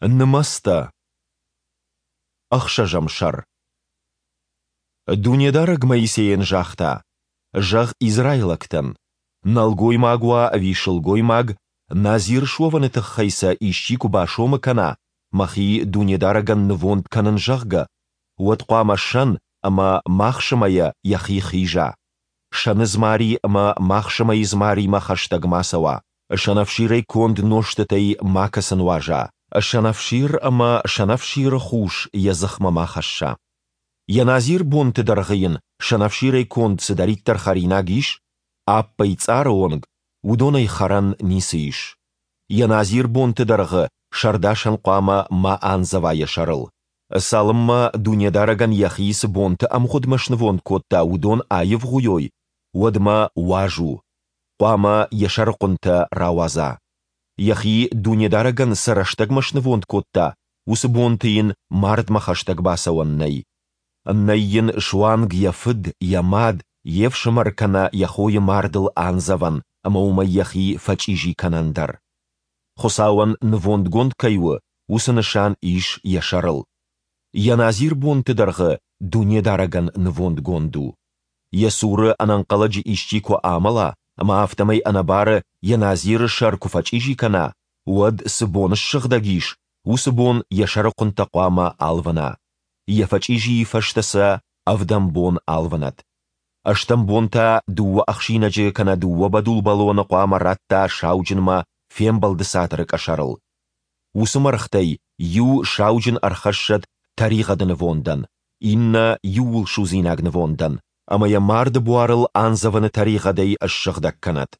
Нымӕцтӕ. Ӕхсӕзӕм сӕр. Дунедарӕг Моисейӕн загъта: Зӕгъ израилӕгтӕн, нӕлгоймаг уа ӕви сылгоймаг, назир суӕвыны тыххӕй сӕ исчи куы басомы кӕна, мӕхи Дунедарӕгӕн нывонд кӕнын, зӕгъгӕ, уӕд хъуамӕ сӕн ӕмӕ махсымӕйӕ йӕхи хиза, сӕны дзмари ӕмӕ махсымӕйы дзмаримӕ хӕстӕг ма цӕуа, сӕнӕфсирӕй конд нозтытӕй макӕцы нуаза, сӕнӕфсир ӕмӕ сӕнӕфсиры хус йӕ дзыхмӕ ма хӕсса. Йӕ назир бонты дӕргъы йын сӕнӕфсирӕй конд цыдӕриддӕр хӕринаг ис, аппӕй цъары онг, уыдонӕй хӕрӕн ницы ис. Йӕ назир бонты дӕргъы сӕрдасӕн хъуамӕ ма андзӕва йӕ сӕрыл. Цалынмӕ Дунедарӕгӕн йӕхи цы бонты ӕмгъуыдмӕ снывонд кодта, уыдон аивгъуыйой, уӕдмӕ уаз у. Хъуамӕ йӕ сӕрыхъуынтӕ рауадза. Йӕхи Дунедарӕгӕн цы рӕстӕгмӕ снывонд кодта, уыцы бонты йын мардмӕ хӕстӕг бацӕуӕн нӕй. Нӕй йын суанг йӕ фыд, йӕ мад, йе фсымӕр кӕнӕ йӕ хойы мардыл андзӕвӕн ӕмӕ уымӕй йӕхи фӕчъизи кӕнӕн дӕр. Хуыцауӕн нывондгонд кӕй у, уыцы нысан ис йӕ сӕрыл. Йӕ назир бонты дӕргъы Дунедарӕгӕн нывондгонд у. Йӕ цуры ӕнӕнхъӕлӕджы исчи куы амӕла ӕмӕ афтӕмӕй ӕнӕбары йӕ назиры сӕр куы фӕчъизи кӕна, уӕд, цы бон ссыгъдӕг ис, уыцы бон йӕ сӕрыхъуынтӕ хъуамӕ алвына. Йӕ фӕчъизийы фӕстӕ сӕ ӕвдӕм бон алвынӕд. Ӕстӕм бон та дыууӕ ӕхсинӕджы кӕнӕ дыууӕ бӕдул бӕлоны хъуамӕ радта сауджынмӕ фембӕлды цатыры къӕсӕрыл. Уыцы мӕргътӕй иу сауджын ӕрхӕссӕд тӕригъӕды нывондӕн, иннӕ иууылсудзинаг нывондӕн, ӕмӕ йӕ марды буарыл андзӕвыны тӕригъӕдӕй ссыгъдӕг кӕнӕд.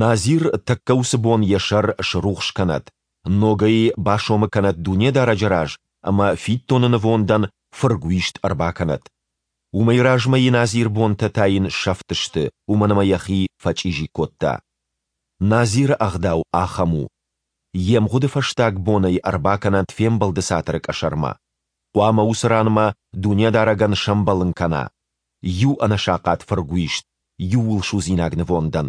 Назир тӕккӕ уыцы бон йӕ сӕр срухс кӕнӕд, ногӕй басомы кӕнӕд Дунедарӕджы раз ӕмӕ фиддоны нывондӕн фыргуист ӕрбакӕнӕд. Уымӕй размӕйы назирбонтӕ та йын сӕфт сты, уымӕн ӕмӕ йӕхи фӕчъизи кодта. Назиры ӕгъдау ахӕм у. Йе мгъуыды фӕстаг бон ӕй ӕрбакӕнӕд фембӕлды цатыры къӕсӕрмӕ. Хъуамӕ уыцы ранмӕ Дунедарӕгӕн сӕмбӕлын кӕна иу ӕнӕсахъат фыргуист иууылсудзинаг нывондӕн,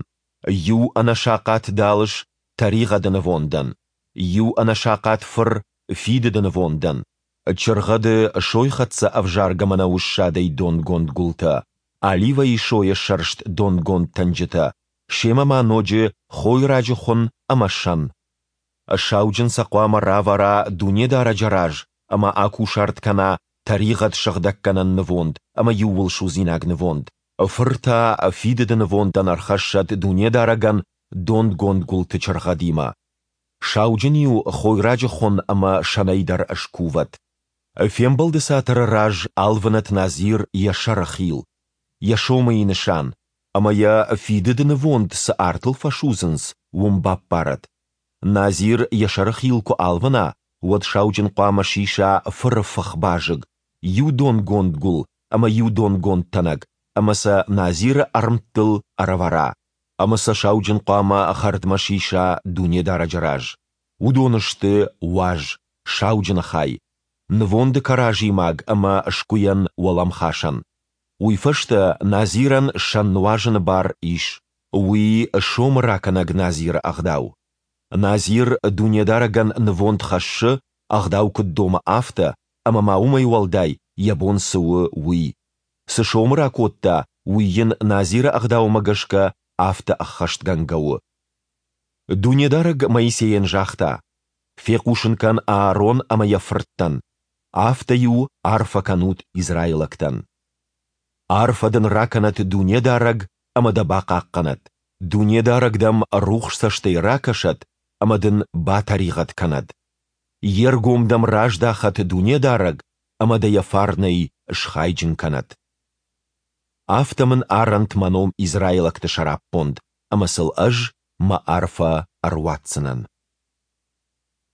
иу ӕнӕсахъат далыс тӕригъӕды нывондӕн, иу ӕнӕсахъат фыр фидыды нывондӕн, чыргъӕды сойхӕццӕ ӕвзаргӕ мӕнӕуы ссадӕй донгонд гуылтӕ, оливӕйы сойӕ сӕрст донгонд тӕнджытӕ, семӕ ма ноджы хойраджы хуын ӕмӕ сӕн. Сауджын сӕ хъуамӕ равӕра Дунедарӕджы раз ӕмӕ акусарт кӕна тӕригъӕд сыгъдӕггӕнӕн нывонд ӕмӕ иууылсудзинаг нывонд. Фыр та фидыды нывондӕн ӕрхӕссӕд Дунедарӕгӕн донгонд гуылты чыргъӕдимӕ. Сауджын-иу хойраджы хуын ӕмӕ сӕнӕй дӕр скувӕд. Фембӕлды цатыры раз алвынӕт назир йӕ сӕры хил, йӕ сомыйы нысан, ӕмӕ йӕ фидыды нывонд цы артыл фӕсудзынц, уым баппарӕд. Назир йӕ сӕрыхил куы алвына, уӕд сауджын хъуамӕ сиса фыры фых базыг, иу донгонд гуыл ӕмӕ иу донгонд тӕнӕг ӕмӕ сӕ назиры ӕрмттыл ӕрӕвӕра, ӕмӕ сӕ сауджын хъуамӕ хӕрдмӕ сиса Дунедарӕджы раз. Уыдон сты уаз, сауджыны хай, нывонды кӕразимаг ӕмӕ сгуыйӕн уӕлӕмхасӕн. Уый фӕстӕ назирӕн сӕн нуазыны бар ис. Уый сомы ракӕнӕг назиры ӕгъдау. Назир Дунедарӕгӕн нывонд хӕссы, ӕгъдау куыд домы, афтӕ, ӕмӕ ма уымӕй уӕлдай йӕ бон цы у, уый. Цы сомы ракодта, уый йын назиры ӕгъдаумӕ гӕсгӕ афтӕ ӕххӕстгӕнгӕ у. Дунедарӕг Моисейӕн загъта, Фехъусын кӕн Аарон ӕмӕ йӕ фырттӕн, афтӕ-иу арфӕ кӕнут израилӕгтӕн. Арфӕ дын ракӕнӕд Дунедарӕг ӕмӕ дӕ бахъахъхъӕнӕд. Дунедарӕг дӕм рухс цӕстӕй ракӕсӕд ӕмӕ дын батӕригъӕд кӕнӕд. Йе ргом дӕм раздахӕд Дунедарӕг ӕмӕ дӕ йӕ фарнӕй схайджын кӕнӕд. Афтӕ мын арӕнт мӕ ном израилӕгты сӕраппонд, ӕмӕ сыл ӕз мӕ арфӕ ӕруадздзынӕн.